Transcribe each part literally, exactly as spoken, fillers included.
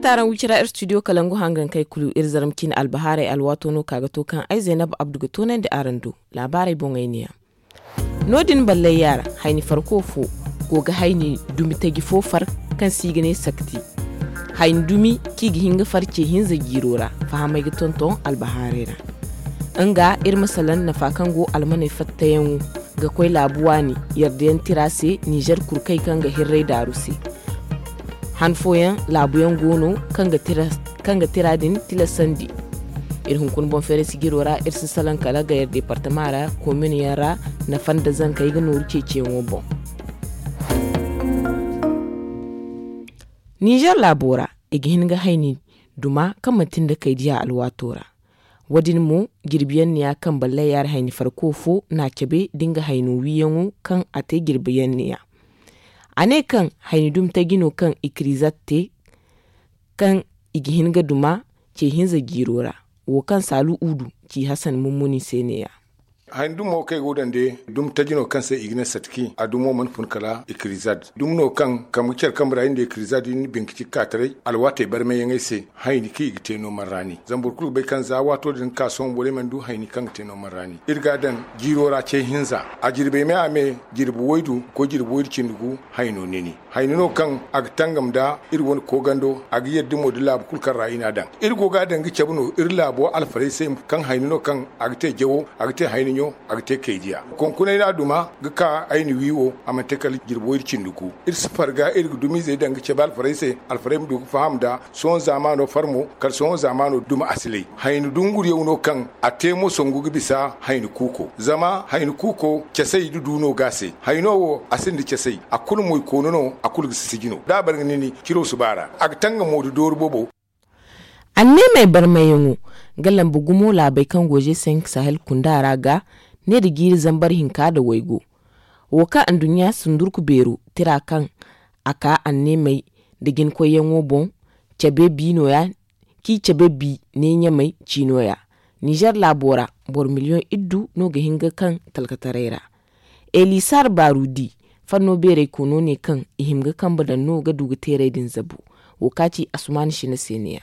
Taaraŋ wicira ir studio kalangu hangankey kulu ir zarma ciine albahaaray alwaato no ka ga to kaŋ ay zaynab abdu ga toonandi araŋ do. Laabaarey boŋey ne yaŋ. No- din ballayya ra, hayni farko fo go ga hayni dumi taji fo far, kaŋ se i ga ne sakti. Hayni dumi kaŋ i ga hin ga far ce hinza jiiro ra, fahamey ga tonton albahaaray ra. Nga iri ma salaŋ nafa kaŋ go almaney fattayaŋo ga koy laabu waani yardayaŋ tira se, nizer kurkey kaŋ ga hirray daaru se. Han fooyaŋ laabuyaŋ go no kaŋ ga tira din tilasandi. Iri hunkuna boŋ feeray sijiro ra iri si salaŋ kala gayer departama ra, komin yaŋ ra nafa nda zankey ga nooru ceeciyaŋo boŋ. Nizer laabo ra, i ga hin ga hayni duma kaŋ manti nda kaydiya alwaato ra. Wo- din mo, jirbiyaŋ neeya kaŋ ballayya ra hayni farko fo n'a cabe da nga hayno wiiyaŋo kaŋ a te jirbiyaŋ neeya. A ne kaŋ hayni dumi taji no kaŋ ikirizat te, kaŋ i ga hin ga duma ce hinza jiiro ra. Wo kaŋ saalu udu ci hasan mummuni se neeya. Hayni dumo kaŋ i go daŋ day dumi taji no kaŋ se i ga ne satki a dumo mana fun kala ikirizad dumi no kaŋ kambe care kambe ra i nda ikirizad i na binkiti ga ka taray alwaatey barmayyaŋey se. Hayni kaŋ i ga te no man raani zama boro kulu ga bay kaŋ za waato din ga ka sohõ borey mana du hayni kaŋ ga te no man raani iri ga a daŋ jiiro ra ce hinza. A jirbey me a me jirbi waydu ga koy jirbi waydu cindi gu. Hayno nini hayni no kaŋ a ga tangam nda iri wane koogando a ga yadda mo da laabu kulu kaŋ ra i n'a daŋ. Iri go ga a daŋ ga cabe no iri laabo alfarey se kaŋ hayni no kaŋ a ga te jawo, a ga te hayni ɲo, a ga te kaydiya. Konkunay no a duma ga ka ay na wi wo a mana te kala jirbi waydu cindi gu. Iri si farga iri ga dumizey daŋ ga cabe alfarey se, alfarey ma du ga faham nda sohõ zaamaano far mo kala sohõ zaamaano duma a si lay. Hayni dunguriyaŋ no kaŋ a te mo songu ga bisa hayni kuuko zama hayni kuuko casay da du no ga a se. Hayno wo a sinda casay, a kulu moy koonu no, a kulu ga sisiji no da a bare ga nini ciro si ba a ra. A ga tanga mo da dooru boobo. Anneemey barmayyaŋo ga lambu gumo laabey kaŋ go g cinq sahel kunda ra ga ne nda jiiri zambar hinka nda waygu. Wo kaŋ anduɲɲa sundurku beero tira kaŋ a ka anneemey nda jinkoyyaŋo boŋ cabe bi nooya, kaŋ i cabe bi ne ɲamey ci nooya. Nizer laabo ra boro miliyoŋ iddu no ga hin ga kaŋ talkataray ra. Elisar barudi fanno beeray koono ne kaŋ i hima ga kambe daŋ no ga du ga teeray din zabu. Wo kaŋ a ci asuman shina se ne ya.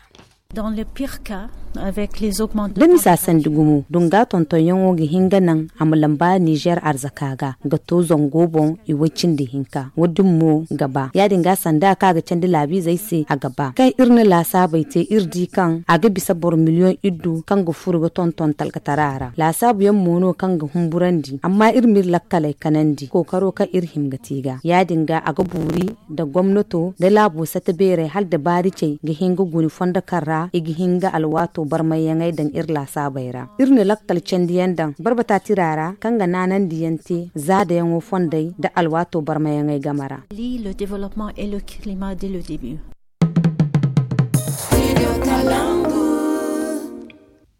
Da misa sandi gumo dunga tontonyaŋo ga hin ga naŋ a ma lamba nizer arzaka ga ga to zango boŋ i way cindi hinka wo- din mo ga ba ya- din ga sanda kaŋ a ga candi laabiizey se a ga ba kaŋ iri na laasaabey te iri di kaŋ a ga bisa boro miliyoŋ iddu kaŋ ga furo ga tonton talkatara ra laasaabu yaŋ mo no kaŋ ga humburandi amma iri ma iri lakkaley kanandi kookaro kaŋ iri hima ga te ga ya- din ga a ga buuri nda gomnato nda laabo sata beeray hala da baari cay ga hin ga guni fondo kaŋ ra i ga hin ga alwaato barmayyaŋey daŋ iri laasaabey ra. Iri na lakkal candiyaŋ daŋ barbata tira ra kaŋ ga naanandiyaŋ te zaadayaŋo fondey nda alwaato barmayyaŋey game ra.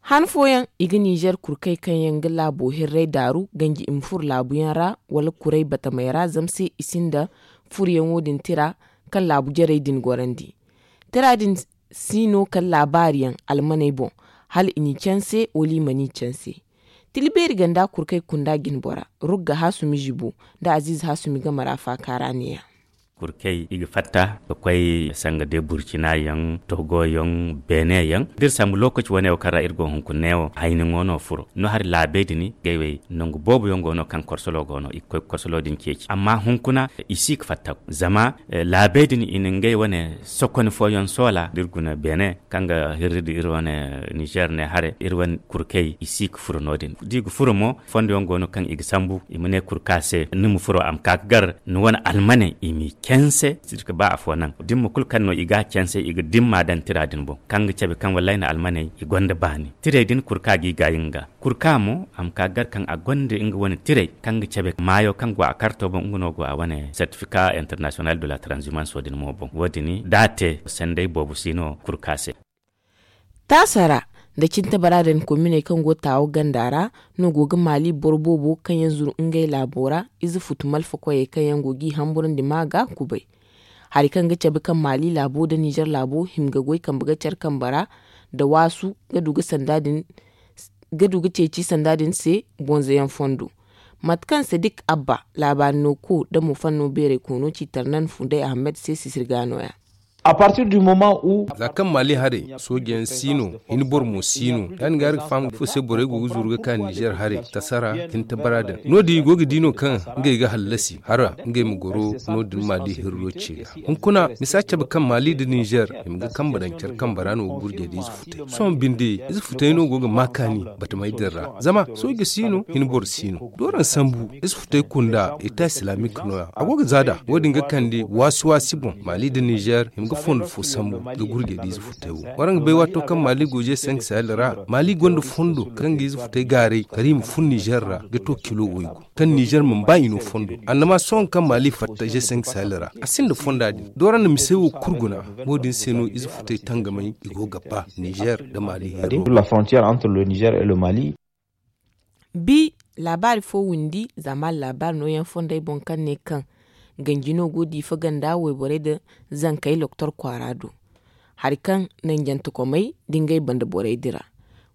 Han fooyaŋ i ga nizer kurkey kaŋ yaŋ ga laabo hirray daaru ganji i ma furo laabuyaŋ ra wala kuray batamey ra zama se i sinda furoyaŋo din tira kaŋ laabu jarey din gorandi. Tira din si no kala laabaariyaŋ almaney boŋ hala i n'i canse wala i mana i canse. Tila beeri ganda kurkey kunda jinbora rugga hasumi zibo nda aziize hasumi game ra faaka ra ne- ya. Kurkey i ga fatta ga koy sanga de burcina yaŋ togo yaŋ beene yaŋ da iri sambu lookaci wane wo kaŋ ra iri go hunkuna ne wo hayni ŋo no furo no hari laabey din ngey wey nangu boobo yaŋ go no kaŋ korsolo go no i ga koy ga korsolo din ceeci amma hunkuna i si ga fatta zama laabey din i na ngey wane sokoni fooyaŋ soola da iri guna beene kaŋ ga hirri nda iri wane nizer ne hare iri wane kurkey i si ga furo no- din da i ga furo mo fondo yaŋ go no kaŋ i ga sambu i ma ne kurka se ni ma furo a ma ka ga gar ni wane almaney i m'i canse. Ba afo naŋ dimma kulu kaŋ no i ga a canse i ga dimma daŋ tira din boŋ kaŋ ga cabe kaŋ wallay na almaney i gonda baani tirey din kurka ga i gaayi nga kurka mo a ma ka gar kaŋ a gonda nga wane tirey kaŋ ga cabe maayo kaŋ go a karto boŋ nga no go a wane certificat international de la transhumance wo- din mo boŋ wo- din da a te sanday boobo si no kurka se. Taasa ra nda cintabara din kominey kaŋ go taawo ganda ra no go ga maali boro boobo kaŋ yaŋ zuru ngey laabo ra ize futu malfa koyey kaŋ yaŋ go g'i hamburandi ma ga kubay. Hari kaŋ ga cabe kaŋ maali laabo nda nizer laabo hima ga goy kambe ga care kambe ra nda waasu ga du ga sanda din ga du ga ceeci sanda din se bonzoyaŋ fondo. Mate kaŋ sadik abba laabaari no ko damo fanno beeray koono ci tarnan funday ahmed se sisir ga no- ya. Za kaŋ maali haray soojayaŋ si no, hin boro mo si no. Ya- din ga araŋ ga faham ifo se borey go ga zuru ga ka nizer haray, tasara, hinta bara din no- din i go ga di no kaŋ ngey ga hallasi hara ngey ma goro no- din maali hirro ce ga. Hunkuna misa cabe kaŋ maali nda nizer i ma ga kambe daŋ care kambe ra no ga gurjey da ize futay. Sohõ binde ize futay no go ga ma kaani batamey din ra, zama sooja si no, hin boro si no. Dooraŋ sambu ize futay kunda eta islamic no- ya a go ga za nd'a. Wo- din ga kande waasi waasi boŋ maali nda nizer i ma ga fondo fo sambu ga gurjey da ize futay wo. Waraŋ ga bay waato kaŋ maali go ze sank sahel ra, maali gonda fondo kaŋ ga ize futay gaaray kala i ma fun nizer ra ga to kilo waygu, kaŋ nizer mana ba i no fondo. Annama sohõ kaŋ maali fatta ze sank sahel ra a sinda fonda din dooraŋ na misey wo kulu guna. Wo- din se no ize futay tangamey i go ga ba nizer nda maali heero. Bi laabaari fo windi zama laabaari nooyaŋ fondey boŋ kaŋ ne kaŋ ganji no go diifa ganda wayborey nda zankey loktor kwaara do. Hari kaŋ nanjantekomey nda ngey banda borey dira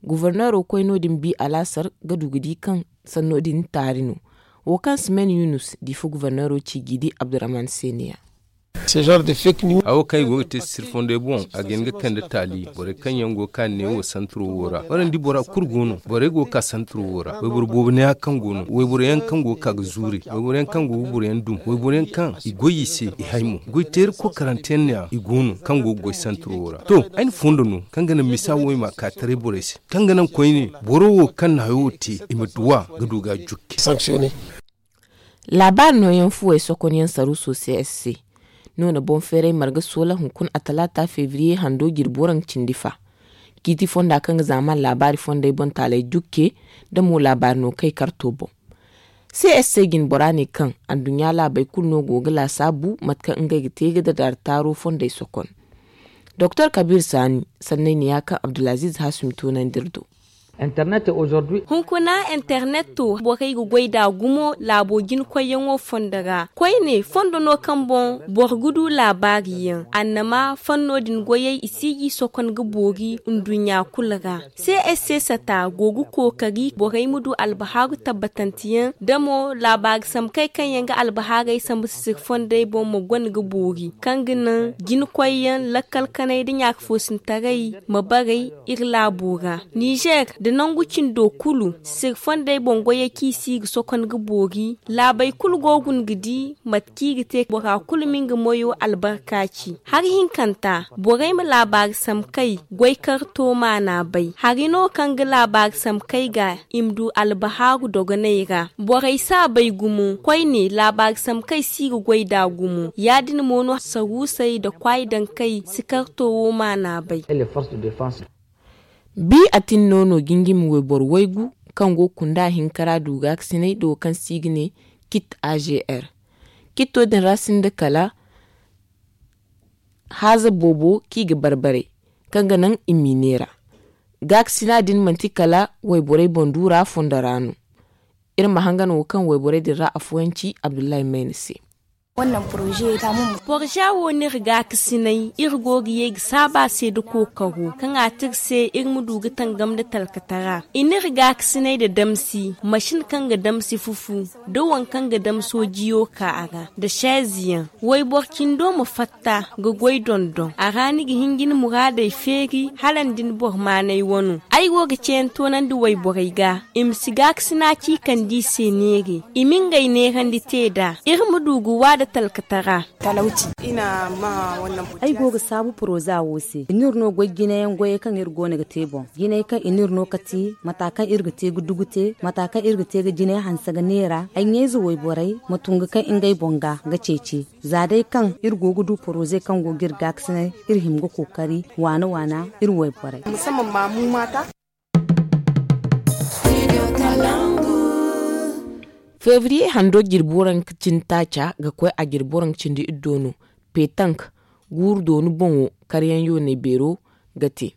guforneero koy no- din bi alaasar ga du ga di kaŋ sanno din taari no. Wo kaŋ simen yunus diifa guforneero ci g'i di abdurrahman se ne- ya. Hawo kaŋ i go ga te sirfondey boŋ a ga hin ga kande taali borey kaŋ yaŋ go ga ka neewo santuro wo ra waraŋ di bora kulu go no borey go ga ka santuro wo ra wayboro boobo neeya kaŋ go no wayboro yaŋ kaŋ go ga ka ga zuure wayboro yaŋ kaŋ go ga boro yaŋ dum wayboro yaŋ kaŋ i goy i se i hay mo goy teeri kookaranteyaŋ neeya i go no kaŋ go ga goy santuro wo ra to ay na fondo no kaŋ ga naŋ misa wo i ma a ka taray borey se kaŋ ga naŋ koyne boro wo kaŋ na hayo wo te i ma duw'a ga du ga a jukke. Laabaari nooyaŋ fuwey sokonyaŋ saruuso c s c no na boŋ feeray marga soola hunkuna a talaata febriye hando jirbi waraŋ cindi fa. Ciiti fonda kaŋ ga zaaman laabaari fondey boŋ taaley jukke nda mo laabaari no kay karto boŋ. C s c jine bora ne kaŋ adduɲɲa laabey kulu no go ga laasaabu mate kaŋ ngey ga te ga dadaari taaro fondey sokon. Doktor kabiir saani sanney ne ya kaŋ abdulaziiz haasumi toonandi iri do. Hunkuna internet to borey ga goy nd'a gumo laabo jinakoyyaŋo fondo ra koyne fondo no kaŋ boŋ boro ga du laabaari yaŋ annama fanno din goyey i si g'i sokon ga boori nduɲɲa kulu ra. C s c sata go ga kookari borey ma du albahaaru tabbatanteyaŋ da mo laabaari samkey kaŋ yaŋ ga albahaaray sambu sisiri fondey boŋ ma gona ga boori kaŋ ga naŋ jinakoyyaŋ lakkal kanay nda ɲaaka foosintaray ma baray iri laabo ra. Nizer nda nangu cindo kulu sisiri fondey boŋ goyey kaŋ i si ga sokon ga boori laabey kulu go guna ga di mate kaŋ i ga te bora kulu ma nga moyo albarka ci hari hinkanta borey ma laabaari samkey goy karto maana bay hari no kaŋ ga laabaari samkey ga i ma du albahaaru dogoney ra borey si a bay gumo koyne laabaari samkey si ga goy nd'a gumo ya- din mo no saruusey nda kwaayi dankey si karto wo maana bay. Bi atin no no jinjimi wayboro waygu kaŋ go ga kunda hinka ra du gaakasinay nda wo kaŋ se i ga ne kit a g r. Kitto din ra sinda kala haaza boobo kaŋ i ga barbaray kaŋ ga naŋ i m'i neera. Gaakasina din manti kala wayborey boŋ duura fondo ra no. Iri ma hangan wo kaŋ wayborey din ra afooyaŋ ci abdullahi mayna se. Porza wo no iri gaakasinay iri go ga ye ga saabu a se nda kookaro kaŋ a te iri se iri ma du ga tangam nda talkatara i n'iri gaakasinay nda damsi masin kaŋ ga damsi fufu nda waŋ kaŋ ga damso jiyo ka a ra nda seeziyaŋ wayboro cindo ma fatta ga goy dondon a ra ni ga hin ga ni muraadey feeri hala ni da ni boro maanay wano ay go ga ceeyaŋ toonandi wayborey ga i ma si gaakasina ci kande i se neere i ma ngey neerandi te nd'a iri ma du ga wa nda talkatara. Ay go ga saabu poroza wo se i n'iri no goy jinayaŋ goyey kaŋ iri go no ga te boŋ jinay kaŋ i n'iri no kati mata kaŋ iri ga te ga dugu te mata kaŋ iri ga te ga jinay hanse ga neera ay ɲayze wayborey ma tungu kaŋ ngey boŋ ga ga ceeci za day kaŋ iri go ga du poroze kaŋ go ga iri gaakasinay iri hima ga kookari waana waana iri wayborey. Febriye hando jirbi waranka cindi taaca ga koy a jirbi waranka cindi iddo no petank guuru dooni boŋo karyaŋ yoonay beero ga te.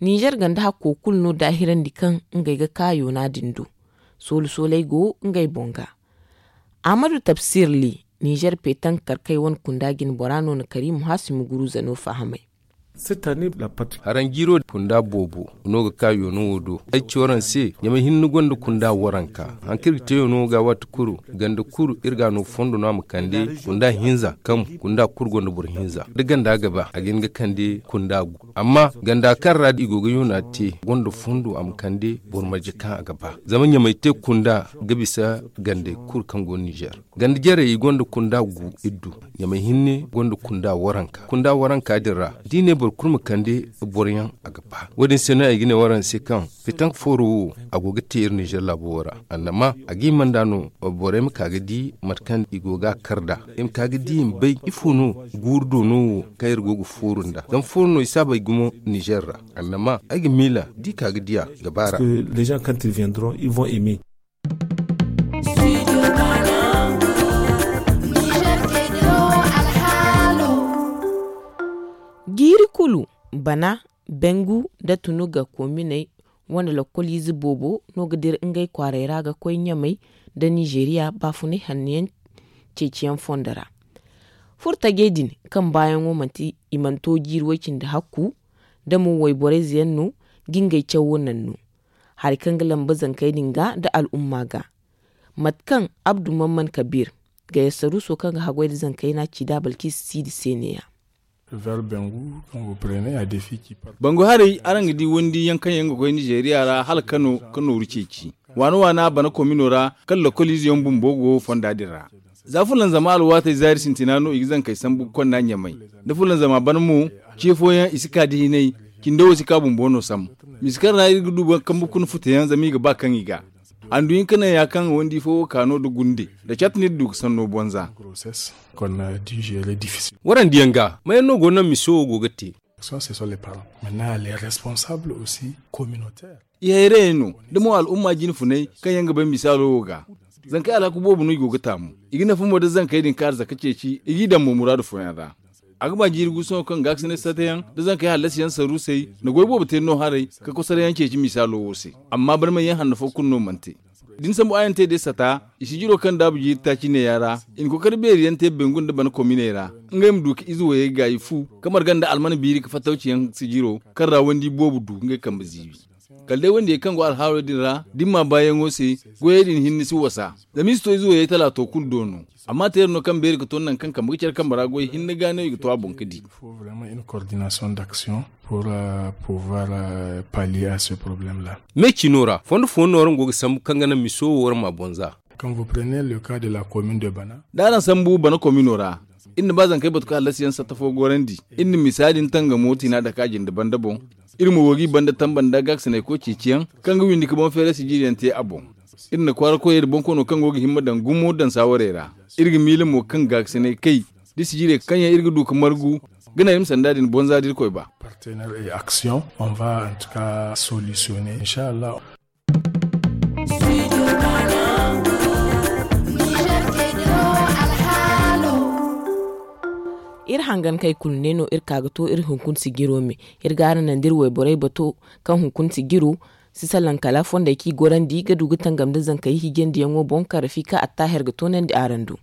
Nizer ganda hakko kulu no daahirandi kaŋ ngey ga ka yoona din do. Soolu sooley go ngey boŋ ga. Ahmadu tabsir li nizer petank karkey wane kunda jine bora no na karimu haasumi guruuza no fahamay. Haraŋ jiiro kunda boobo no ga ka yoono wo do. Ay ci waraŋ se ɲamay hinne gonda kunda waranka. Haŋ kaŋ iri ga te yoono wo ga waati kulu ganda kulu iri ga a no fondo no a ma kande kunda hinza kaŋ kunda kulu gonda boro hinza da ganda ga ba a ga hin ga kande kunda gu. Amma ganda kaŋ ra i go ga yoona te gonda fondo a ma kande boro marje kaŋ a ga ba. Zama ɲamay te kunda ga bisa gandey kulu kaŋ go nizer. Ganda jarey i gonda kunda gu iddu. Ɲamay hinne gonda kunda waranka kunda waranka din ra da i ne boro kulu ma kande boroyaŋ a ga ba. Wo- din se no ay ga ne waraŋ se kaŋ fitank fooro wo a go ga te iri nizer laabo wo ra. Annama a ga hima nd'a no borey ma ka ga di mate kaŋ i go ga a kar nd'a. I ma ka ga di i ma bay ifo no guuru doono wo kaŋ iri go ga fooru nd'a zama fooro no i si a bay gumo nizer ra. Annama ay ga miila da i ka ga di a ga ba ra. Jiiri kulu bana, bengu nda tunuga kominey wane lokkoliize boobo no ga dira ngey kwaaray ra ga koy ɲamay nda nizeriya baafunay hanno yaŋ ceeciyaŋ fondo ra. Furo tajey din kaŋ baayaŋo manti i mana to jiiri way-cindi hakku da mo wayborayze yaŋ no ga ngey cawo naŋ no. Hari kaŋ ga lamba zankey din ga nda al'umma ga, mate kaŋ abdu mamman kabiir, gayassaruuso kaŋ ga haggoy nda zankey no a ci da balkiisa siidi se ne-ya. Bangu haray araŋ ga di wandi yaŋ kaŋ yaŋ ga koy nizeeriya ra hala kano ka nooru ceeci waana waana bana komino ra kaŋ lokoliize yaŋ bumbo go fonda din ra. Za fulanzama alwaatey zaari sintina no i ga zankey sambu ga konda ɲamay, da fulanzama bana mo ce fooyaŋ i si ka da hinay. Cindo wo si ka bumbo no sam. Misa kaŋ ra iri ga du boro kambe kuna futeyaŋ zama i ga ba kaŋ i ga handu hinka naŋ ya kaŋ wandi fo wo ka no nda gunde nda cat no iri du ga sanno bonza. Warandiyaŋ ga mayaŋ no go naŋ miso wo go ga te? I hayrayey no da mo al'umma jine funay kaŋ yaŋ ga bay misaalo wo ga. Zankey alhaku boobo no i go ga taamu. I ga nafa mo da zankey din kaara zaka ceeci i g'i daŋ mo muraadu fooyaŋ ra. A ga ba jiiri guusuno kaŋ gaakasinay satayaŋ da zankey hallasiyaŋ saruusey na goy boobo te no haray ka kosarayaŋ ceeci misaalo wo se. Amma bana manyaŋ hanno fo kulu no mana te. Da ni sambu ayaŋ te day sata, i si jiro kaŋ daabu jiiri taaci neeya ra. I na kookari beeri yaŋ te bengu nda bana kominey ra ngey ma du ka ize wayey gaayi fu ka marga nda almana biiri ka fattawciyaŋ si jiro kaŋ ra wandi boobo du ngey kambe ziibi. Kala day wandiyey kaŋ go alhaalo din ra da ni ma baayaŋo se, goyey din hinne si wasa. Zama i si to ize wayey talaato kulu do no. Amma teera no kaŋ beeri ga to nangu kaŋ kambe ga care kambe ra goy hinne ga no i ga to a boŋ ga di. Me cino ra fondo fooyaŋ no waraŋ go ga sambu kaŋ ga naŋ miso wo waraŋ ma boŋ za. Da araŋ sambu bana komino ra, iri na ba zankey batu ka hallasiyaŋ satta fo gorandi. Iri na misa din tangamo tiina dake a jinde banda boŋ. Iri mo go g'i banda tamba nda gaakasinay koy ceeciyaŋ kaŋ ga windi ka boŋ feeray sijiriyaŋ te a boŋ. Iri na kwaara koyey nda boŋkoyno kaŋ go ga himma daŋ gumo daŋ saawarey ra. Iri ga miila mo kaŋ gaakasinay kay da sijirey kaŋ yaŋ iri ga du ka margu ga naŋ iri ma sanda din bonza da irkoy ba. Partenaire et action on va en tout cas solutionner inshallah. Iri hangan kay kulu ne no iri ka ga to iri hunkuna sijiro me. Iri ga araŋ naŋ da iri wayborey bato kaŋ hunkuna sijiro si salaŋ kala fondey kaŋ i gorandi ga du ga tangam nda zankey hiijandiyaŋo boŋ kaŋ rafika attaher ga toonandi araŋ do.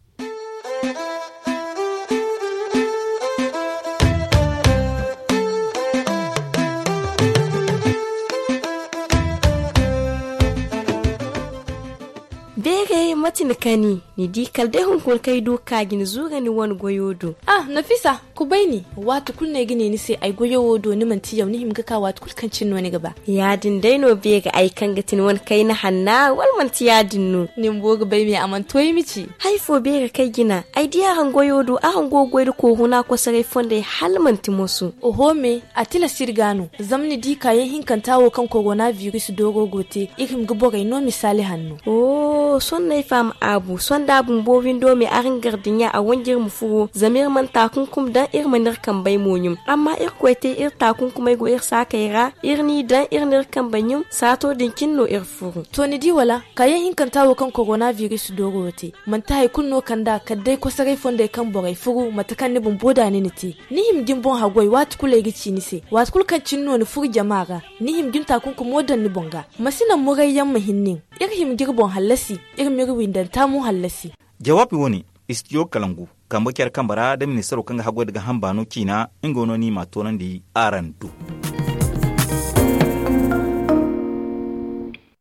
Beeray mate ni kani? Ni di kala day hunkuna kaŋ ay du ga ka ga ni zuura ni wane goyo do. Ah, nafisa, kubay ni. Waati kulu no ay ga ne ni se ay goyo wo do ni manti yaw ni hima ga ka waati kulu kaŋ cine no ni ga ba. Ya- din day no beeri ay kaŋ ga ti ni wane kayna hanna wala manti ya- din no? Ni bumbo ga bay me a mana to ay ma ci. Hari fo beeri kaŋ ay jina ay di araŋ goyo do araŋ go ga goy nda kooruna kosoray fondey hala manti moso. Oho me, a tilas iri ga no. Zama ni di kaayaŋ hinkanta wo kaŋ korona biris dooro go te, iri hima ga borey no misaali hanno. Sohõ no ay faham aabu sohõ da a bumbo windo me araŋ gar dinya a wanj'iri ma furo zama iri mana taakunkum daŋ iri mana iri kambey mo ɲum. Amma irkoy te iri taakunkumey go iri saakey ra iri n'i daŋ iri n'iri kambey ɲum saato din cine no iri furo. To ni di wala? Kaayaŋ hinkanta wo kaŋ korona biris dooro wo te manti hari kulu no kand'a kala day kosoray fondey kaŋ borey furu mate kaŋ ni bumbo da ni na te. Ni hima ga ni boŋ haggoy waati kulu ay ga ci ni se waati kulu kaŋ cine no ni furu jama ra. Ni hima ga ni taakunkumo daŋ ni boŋ ga. Ma si naŋ murayyaŋ ma hin nin. Iri hima ga iri boŋ hallasi. Iri m'iri windanta mo hallasi. Jawaabi wo- ne, istijo kalangu. kambe care kambe ra nda ministaro kaŋ ga haggoy nda ga hamba no ciina nga no no i m'a toonandi araŋ do.